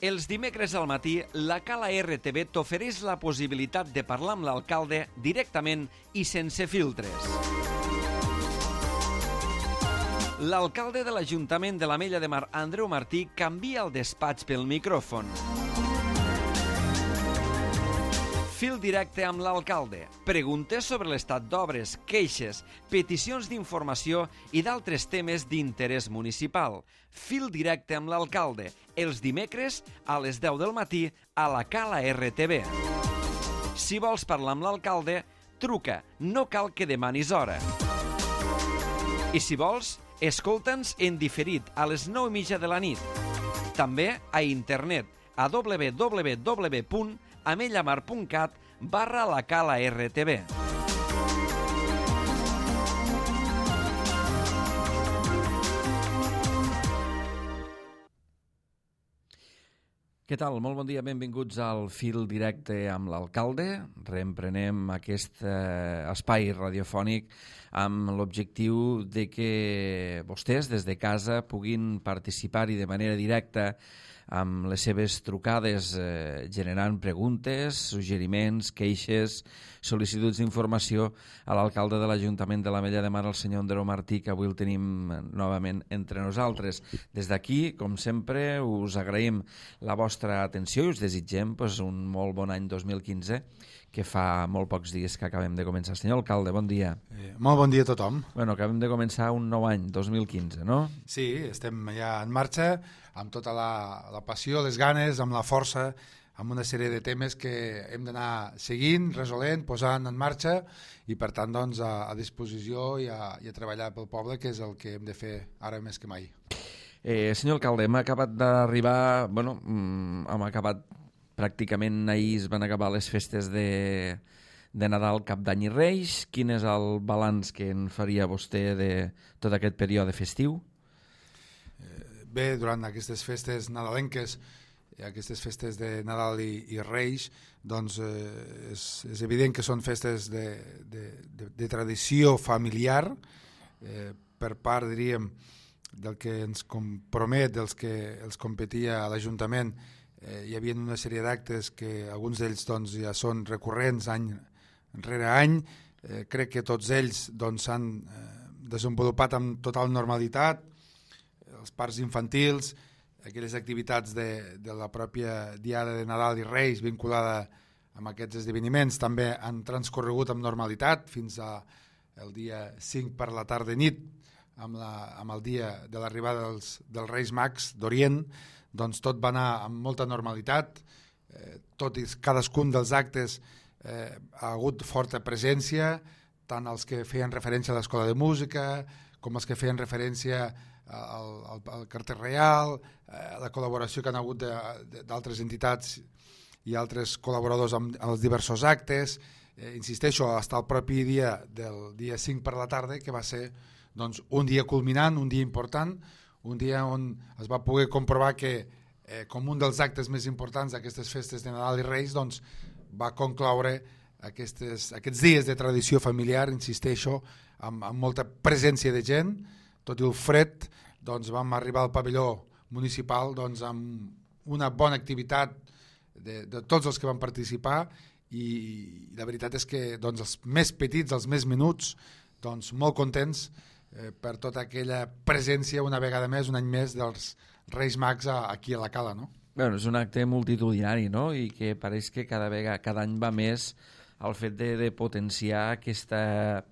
Els dimecres al matí, la Cala RTV t'ofereix la possibilitat de parlar amb l'alcalde directament i sense filtres. L'alcalde de l'Ajuntament de l'Ametlla de Mar, Andreu Martí, canvia el despatx pel micròfon. Fil directe amb l'alcalde. Preguntes sobre l'estat d'obres, queixes, peticions d'informació i d'altres temes d'interès municipal. Fil directe amb l'alcalde. Els dimecres a les 10 del matí a la Cala RTV. Si vols parlar amb l'alcalde, truca. No cal que demanis hora. I si vols, escolta'ns en diferit a les 9:30 de la nit. També a internet a www.amellamar.cat/la Cala RTV. Què tal? Molt bon dia, benvinguts al Fil Directe amb l'alcalde. Reemprenem aquest espai radiofònic amb l'objectiu de que vostès des de casa puguin participar-hi de manera directa amb les seves trucades, generant preguntes, suggeriments, queixes, sol·licituds d'informació a l'alcalde de l'Ajuntament de l'Ametlla de Mar, el senyor Andreu Martí, que avui el tenim novament entre nosaltres. Des d'aquí, com sempre, us agraïm la vostra atenció i us desitgem un molt bon any 2015, que fa molt pocs dies que acabem de començar. Senyor alcalde, bon dia. Molt bon dia a tothom. Bueno, acabem de començar un nou any, 2015, no? Sí, estem ja en marxa, amb tota la passió, les ganes, amb la força, amb una sèrie de temes que hem d'anar seguint, resolent, posant en marxa i, per tant, doncs, a disposició i a treballar pel poble, que és el que hem de fer ara més que mai. Senyor alcalde, hem acabat d'arribar, hem acabat pràcticament ahir es van acabar les festes de Nadal, Cap d'Any i Reis. Quin és el balanç que en faria vostè de tot aquest període festiu? Bé, durant aquestes festes nadalenques, aquestes festes de Nadal i Reis, doncs és evident que són festes de tradició familiar, per part, diríem, del que ens compromet, dels que els competia a l'Ajuntament. Hi havia una sèrie d'actes que alguns d'ells doncs, ja són recurrents any rere any. Crec que tots ells s'han desenvolupat amb total normalitat. Els parcs infantils, aquelles activitats de la pròpia Diada de Nadal i Reis vinculada amb aquests esdeveniments també han transcorregut amb normalitat fins al dia 5 per la tarda i nit, amb el dia de l'arribada dels Reis Mags d'Orient. Doncs tot va anar amb molta normalitat, tot i cadascun dels actes ha hagut forta presència, tant els que feien referència a l'Escola de Música com els que feien referència al Carter Reial, a la col·laboració que han hagut d'altres entitats i altres col·laboradors amb els diversos actes. Insisteixo, fins al propi dia del dia 5 per la tarda, que va ser doncs, un dia culminant, un dia important, un dia on es va poder comprovar que com un dels actes més importants d'aquestes festes de Nadal i Reis doncs, va concloure aquests dies de tradició familiar, insisteixo, amb molta presència de gent. Tot i el fred, doncs, vam arribar al pavelló municipal doncs, amb una bona activitat de tots els que van participar i la veritat és que doncs, els més petits, els més menuts, doncs, molt contents per tota aquella presència una vegada més, un any més, dels Reis Mags aquí a la Cala, no? Bueno, és un acte multitudinari, no? I que pareix que cada any va més el fet de potenciar aquesta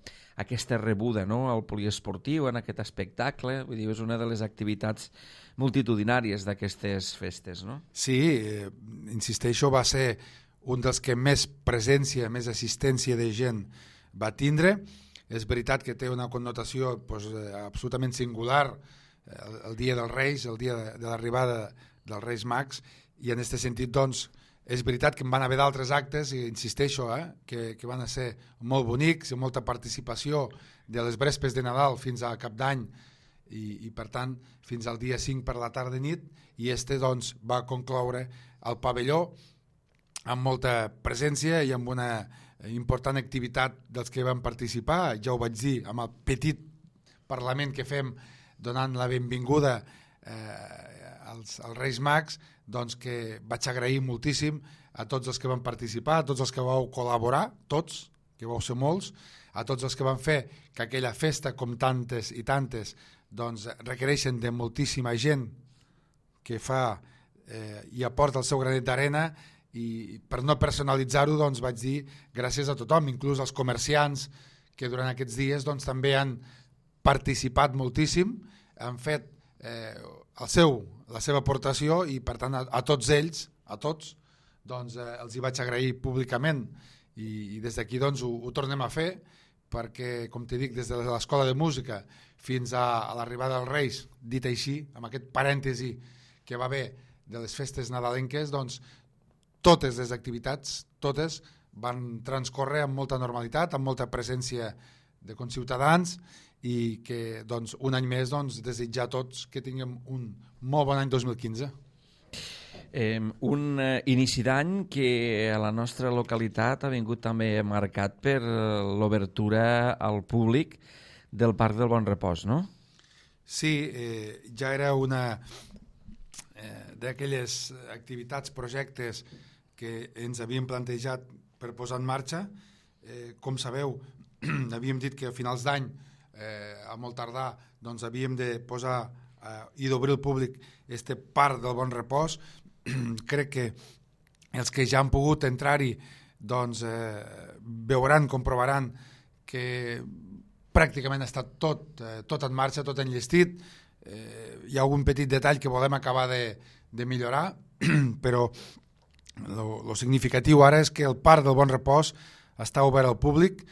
rebuda, no? Al poliesportiu, en aquest espectacle. Vull dir, és una de les activitats multitudinàries d'aquestes festes, no? Sí, insisteixo, va ser un dels que més presència, més assistència de gent va tindre. És veritat que té una connotació absolutament singular el dia dels Reis, el dia de l'arribada dels Reis Mags, i en aquest sentit doncs, és veritat que en van haver d'altres actes, i insisteixo, que van ser molt bonics, amb molta participació de les vespres de Nadal fins a Cap d'Any i per tant fins al dia 5 per la tarda i nit, i doncs, va concloure al pavelló amb molta presència i amb una important activitat dels que van participar. Ja ho vaig dir, amb el petit Parlament que fem donant la benvinguda als Reis Mags, doncs que vaig agrair moltíssim a tots els que van participar, a tots els que vau col·laborar, tots, que vau ser molts, a tots els que van fer que aquella festa, com tantes i tantes, doncs requereixen de moltíssima gent que fa i aporta el seu granet d'arena, i per no personalitzar-ho doncs vaig dir gràcies a tothom, inclús als comerciants que durant aquests dies doncs, també han participat moltíssim, han fet la seva aportació i per tant a tots ells, a tots, doncs, els hi vaig agrair públicament i des d'aquí doncs, ho tornem a fer perquè, com t'he dit, des de l'escola de música fins a l'arribada dels Reis, dit així, amb aquest parèntesi que va haver de les festes nadalenques, doncs totes les activitats, totes, van transcórrer amb molta normalitat, amb molta presència de conciutadans i que doncs, un any més doncs, desitjar a tots que tinguem un molt bon any 2015. Un inici d'any que a la nostra localitat ha vingut també marcat per l'obertura al públic del Parc del Bon Repòs, no? Sí, ja era una d'aquelles activitats, projectes que ens havíem plantejat per posar en marxa. Com sabeu, havíem dit que a finals d'any, a molt tardar, doncs havíem de posar i d'obrir al públic este Parc del Bon Repòs. Crec que els que ja han pogut entrar-hi doncs, veuran, comprovaran que pràcticament està tot en marxa, tot enllestit. Hi ha algun petit detall que volem acabar de millorar, però el significatiu ara és que el Parc del Bon Repòs està obert al públic.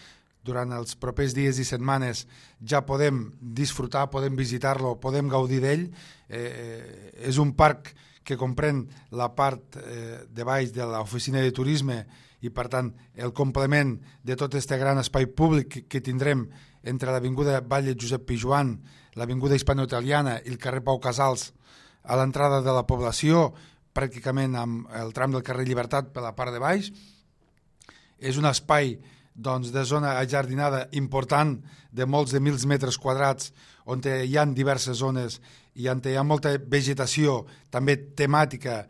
Durant els propers dies i setmanes ja podem disfrutar, podem visitar-lo, podem gaudir d'ell. És un parc que comprèn la part de baix de l'oficina de turisme i, per tant, el complement de tot aquest gran espai públic que tindrem entre l'avinguda Batlle Josep Pijoan, l'avinguda Hispano-Italiana i el carrer Pau Casals, a l'entrada de la població, pràcticament amb el tram del carrer Llibertat per la part de baix. És un espai doncs, de zona ajardinada important de molts de 1.000 metres quadrats, on hi ha diverses zones i on hi ha molta vegetació, també temàtica,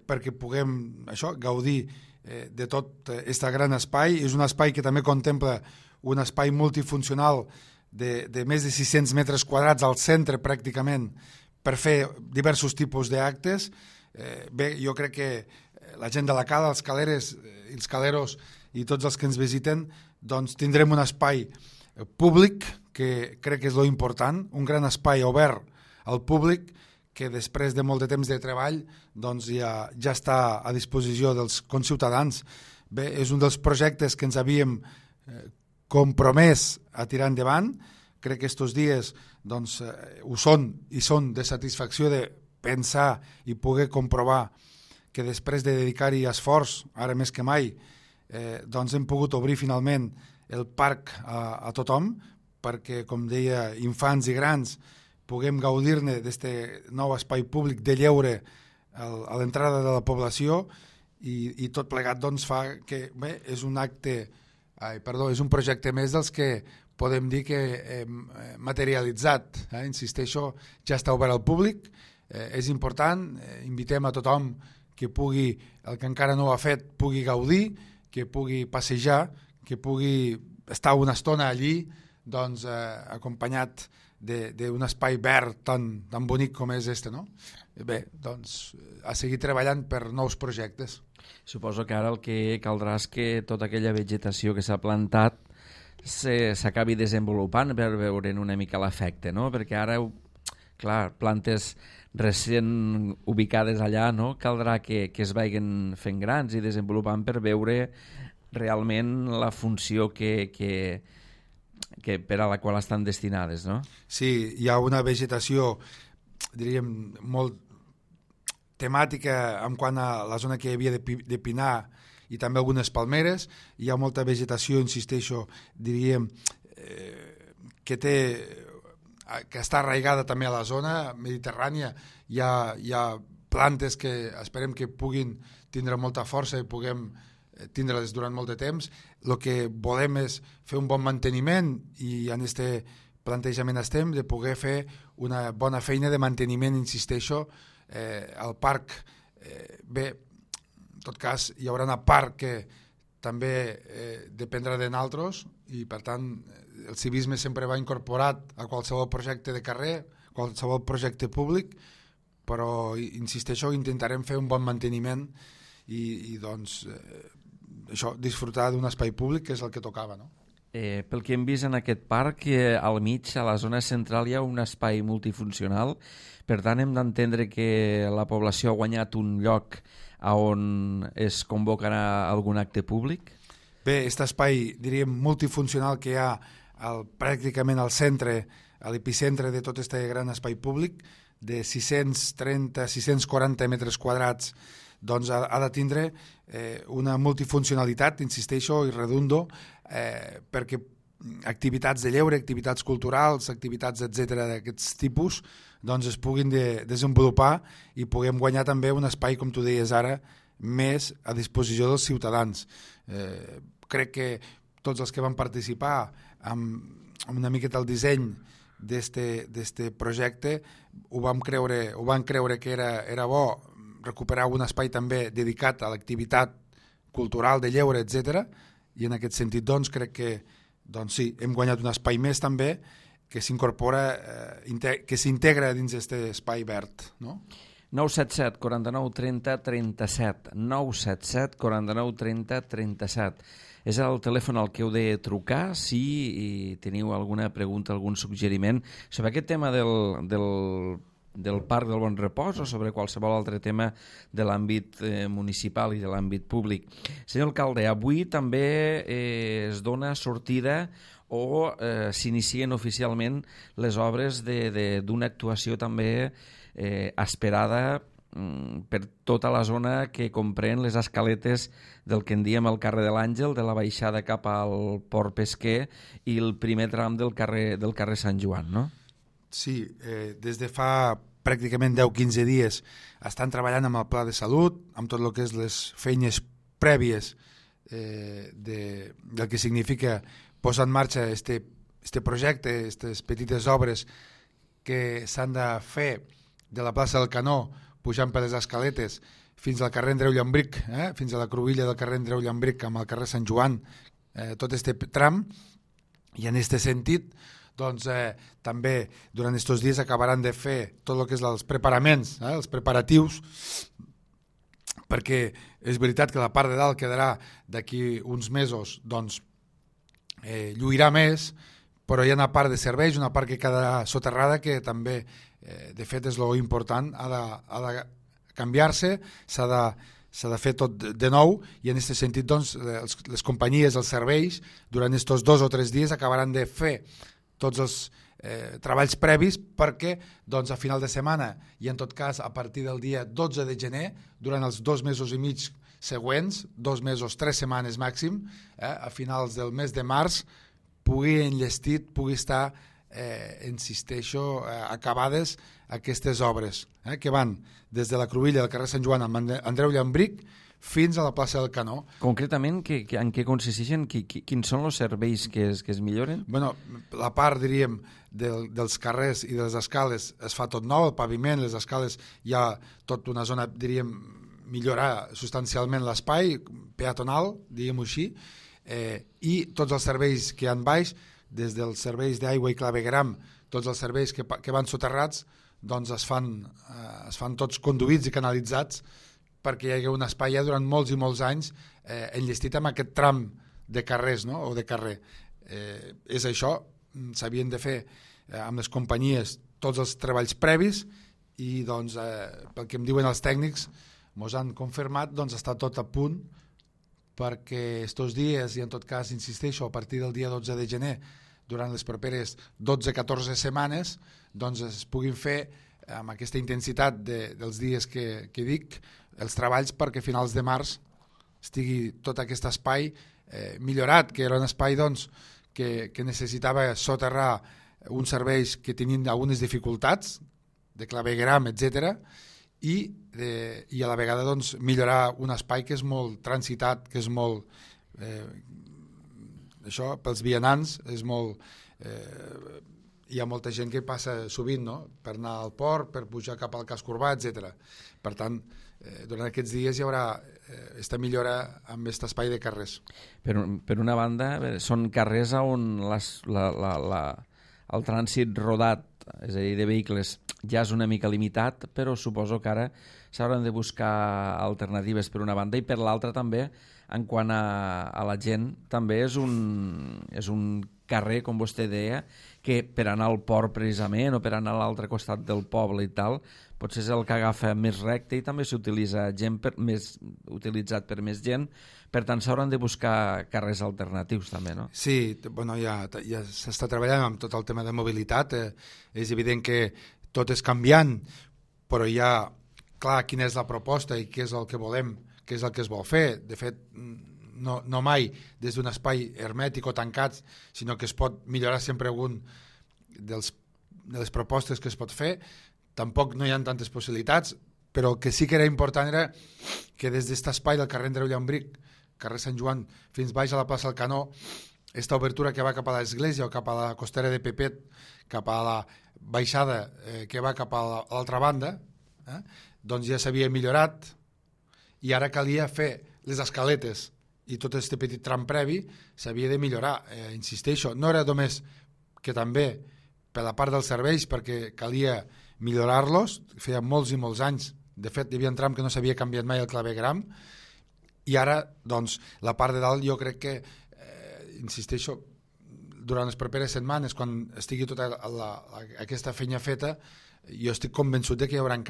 perquè puguem gaudir de tot aquest gran espai. És un espai que també contempla un espai multifuncional de més de 600 metres quadrats al centre pràcticament per fer diversos tipus d'actes. Bé, jo crec que la gent de la cala, els caleres i els caleros i tots els que ens visiten, doncs tindrem un espai públic que crec que és lo important, un gran espai obert al públic que després de molt de temps de treball doncs ja està a disposició dels conciutadans. Bé, és un dels projectes que ens havíem compromès a tirar endavant. Crec que aquests dies doncs, ho són i són de satisfacció de pensar i poder comprovar que després de dedicar-hi esforç, ara més que mai, doncs hem pogut obrir finalment el parc a tothom perquè, com deia, infants i grans puguem gaudir-ne d'aquest nou espai públic de lleure a l'entrada de la població i tot plegat doncs, fa que bé, és un projecte més dels que podem dir que hem materialitzat. Insisteixo, ja està obert al públic, és important, invitem a tothom que pugui, el que encara no ho ha fet, pugui gaudir, que pugui passejar, que pugui estar una estona allí doncs, acompanyat d'un espai verd tan bonic com és este, no? Bé, doncs, a seguir treballant per nous projectes. Suposo que ara el que caldrà és que tota aquella vegetació que s'ha plantat s'acabi desenvolupant per veure'n una mica l'efecte, no? Perquè ara, clar, plantes recent ubicades allà, no? Caldrà que es vagin fent grans i desenvolupant per veure realment la funció que per a la qual estan destinades, no? Sí, hi ha una vegetació, diríem, molt temàtica en quant a la zona que hi havia de pinar i també algunes palmeres. Hi ha molta vegetació, insisteixo, diríem, que està arraigada també a la zona mediterrània. Hi ha plantes que esperem que puguin tindre molta força i puguem tindre-les durant molt de temps. El que volem és fer un bon manteniment i en aquest plantejament estem de poder fer una bona feina de manteniment, insisteixo, el parc, bé, en tot cas hi haurà una part que també dependrà de nosaltres i per tant el civisme sempre va incorporat a qualsevol projecte de carrer, qualsevol projecte públic, però insisteixo, intentarem fer un bon manteniment i doncs això, disfrutar d'un espai públic que és el que tocava, no? Pel que hem vist en aquest parc, al mig, a la zona central, hi ha un espai multifuncional. Per tant, hem d'entendre que la població ha guanyat un lloc on es convocarà algun acte públic? Bé, aquest espai, diríem, multifuncional que hi ha pràcticament al centre, a l'epicentre de tot aquest gran espai públic, de 630-640 metres quadrats, doncs ha de tindre una multifuncionalitat, insisteixo i redundo, perquè activitats de lleure, activitats culturals, activitats, etc d'aquests tipus, doncs es puguin desenvolupar i puguem guanyar també un espai, com tu deies ara, més a disposició dels ciutadans. Crec que tots els que van participar amb una miqueta el disseny d'este projecte ho van creure que era bo recuperar un espai també dedicat a l'activitat cultural, de lleure, etc. I en aquest sentit doncs, crec que doncs, sí, hem guanyat un espai més també que s'incorpora, que s'integra dins d'aquest espai verd, no? 977 49 30 37 977 49 30 37 és el telèfon al que heu de trucar si teniu alguna pregunta, algun suggeriment sobre aquest tema del Parc del Bon Repòs o sobre qualsevol altre tema de l'àmbit municipal i de l'àmbit públic. Senyor alcalde, avui també es dona sortida o s'inicien oficialment les obres d'una actuació també esperada per tota la zona que comprèn les escaletes del que en diem el carrer de l'Àngel, de la baixada cap al Port Pesquer i el primer tram del carrer Sant Joan, no? Sí, des de fa pràcticament 10-15 dies estan treballant amb el pla de salut, amb tot el que és les feines prèvies del que significa posar en marxa este projecte, aquestes petites obres que s'han de fer de la plaça del Canó, pujant per les escaletes fins al carrer Andreu Llambric, fins a la cruïlla del carrer Andreu Llambric amb el carrer Sant Joan, tot este tram, i en aquest sentit doncs, també durant aquests dies acabaran de fer tot el que és els preparaments, els preparatius, perquè és veritat que la part de dalt quedarà d'aquí uns mesos, doncs lluirà més, però hi ha una part de serveis, una part que quedarà soterrada que també, de fet, és lo important, ha de canviar-se, s'ha de fer tot de nou i en aquest sentit doncs, les companyies, els serveis, durant aquests 2 o 3 dies acabaran de fer tots els treballs previs perquè doncs, a final de setmana i en tot cas a partir del dia 12 de gener, durant els 2 mesos i mig següents, 2 mesos, 3 setmanes màxim, a finals del mes de març, pugui enllestit, pugui estar, insisteixo, acabades aquestes obres, que van des de la cruïlla del carrer Sant Joan amb Andreu Llambric fins a la plaça del Canó. Concretament, en què consisteixen? Quins són els serveis que es milloren? Bueno, la part, diríem, dels carrers i de les escales es fa tot nou, el paviment, les escales, hi ha tota una zona, diríem, millorar substancialment l'espai peatonal, diguem-ho així, i tots els serveis que hi ha baix, des dels serveis d'aigua i clavegueram, tots els serveis que van soterrats, doncs es fan tots conduïts i canalitzats perquè hi hagi un espai ja durant molts i molts anys enllestit amb aquest tram de carrers, no? O de carrer. És això, s'havien de fer amb les companyies tots els treballs previs i doncs, pel que em diuen els tècnics, ens han confirmat, doncs està tot a punt perquè estos dies, i en tot cas insisteixo, a partir del dia 12 de gener, durant les properes 12-14 setmanes, doncs es puguin fer amb aquesta intensitat dels dies que dic, els treballs perquè a finals de març estigui tot aquest espai millorat, que era un espai doncs, que necessitava soterrar uns serveis que tenien algunes dificultats, de clavegueram, etc. I a la vegada doncs, millorar un espai que és molt transitat, que és molt... això, pels vianants, és molt hi ha molta gent que passa sovint, no?, per anar al port, per pujar cap al casc urbà, etc. Per tant, durant aquests dies hi haurà esta millora amb aquest espai de carrers. Per una banda, són carrers on el trànsit rodat, és a dir, de vehicles, ja és una mica limitat, però suposo que ara s'hauran de buscar alternatives per una banda, i per l'altra també, en quant a la gent, també és un carrer, com vostè deia, que per anar al port precisament o per anar a l'altre costat del poble i tal, potser és el que agafa més recte i també s'utilitza utilitzat per més gent, per tant s'hauran de buscar carrers alternatius també, no? Sí, bueno, ja s'està treballant amb tot el tema de mobilitat, és evident que tot és canviant, però hi ha clar quina és la proposta i què és el que volem, què és el que es vol fer. De fet, no mai des d'un espai hermètic o tancat, sinó que es pot millorar sempre algun de les propostes que es pot fer. Tampoc no hi ha tantes possibilitats, però el que sí que era important era que des d'aquest espai del carrer Andreu Llambric, carrer Sant Joan, fins baix a la plaça del Canó, aquesta obertura que va cap a l'església o cap a la costera de Pepet, cap a la baixada que va cap a l'altra banda, doncs ja s'havia millorat i ara calia fer les escaletes i tot aquest petit tram previ s'havia de millorar. Insisteixo, no era només que també per la part dels serveis, perquè calia millorar-los, feia molts i molts anys, de fet hi havia un tram que no s'havia canviat mai el clavegram, i ara doncs la part de dalt jo crec que, insisteixo, durant les properes setmanes, quan estigui tota aquesta feina feta, jo estic convençut que hi haurà un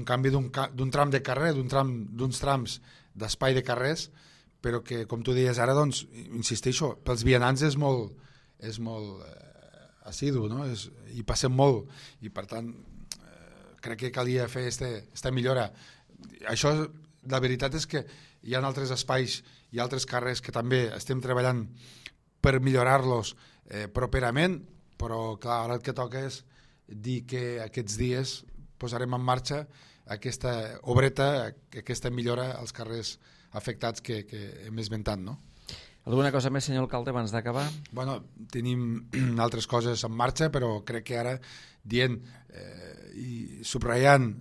canvi d'un tram de carrer, d'uns trams d'espai de carrers, però que, com tu deies ara, doncs, insisteixo, pels vianants és molt assidu, no? I passem molt, i per tant crec que calia fer aquesta millora. Això, la veritat és que hi ha altres espais i altres carrers que també estem treballant per millorar-los properament, però clar, ara el que toca és dir que aquests dies posarem en marxa aquesta obreta, aquesta millora als carrers afectats que hem esmentat, no? Alguna cosa més, senyor alcalde, abans d'acabar? Bueno, tenim altres coses en marxa, però crec que ara dient i subratllant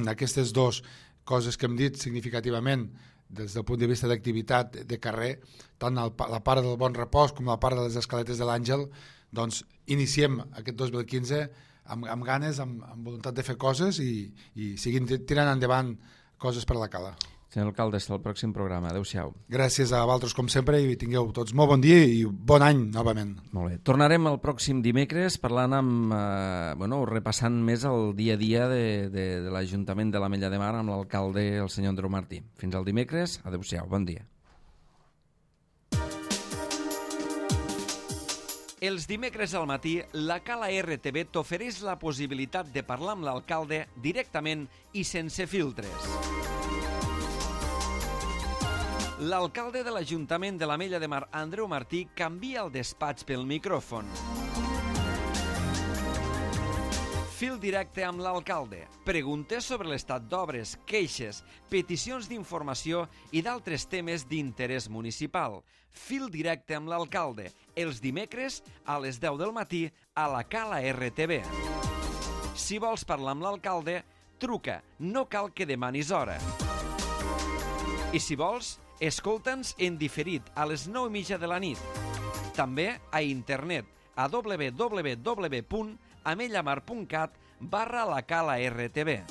aquestes dues coses que hem dit significativament des del punt de vista d'activitat de carrer, tant la part del Bon Repòs com la part de les escaletes de l'Àngel, doncs iniciem aquest 2015 amb ganes, amb voluntat de fer coses i seguim tirant endavant coses per la cala. Senyor alcalde, fins al pròxim programa. Adéu-siau. Gràcies a vosaltres, com sempre, i tingueu tots molt bon dia i bon any, novament. Molt bé. Tornarem el pròxim dimecres parlant repassant més el dia a dia de l'Ajuntament de l'Ametlla de Mar amb l'alcalde, el senyor Andreu Martí. Fins al dimecres. Adéu-siau. Bon dia. Els dimecres al matí, la Cala RTV t'ofereix la possibilitat de parlar amb l'alcalde directament i sense filtres. L'alcalde de l'Ajuntament de l'Ametlla de Mar, Andreu Martí, canvia el despatx pel micròfon. Fil directe amb l'alcalde. Preguntes sobre l'estat d'obres, queixes, peticions d'informació i d'altres temes d'interès municipal. Fil directe amb l'alcalde. Els dimecres a les 10 del matí a la Cala RTV. Si vols parlar amb l'alcalde, truca. No cal que demanis hora. I si vols, escolta'ns en diferit a les 9:30 de la nit. També a internet a www.amellamar.cat/la Cala RTV.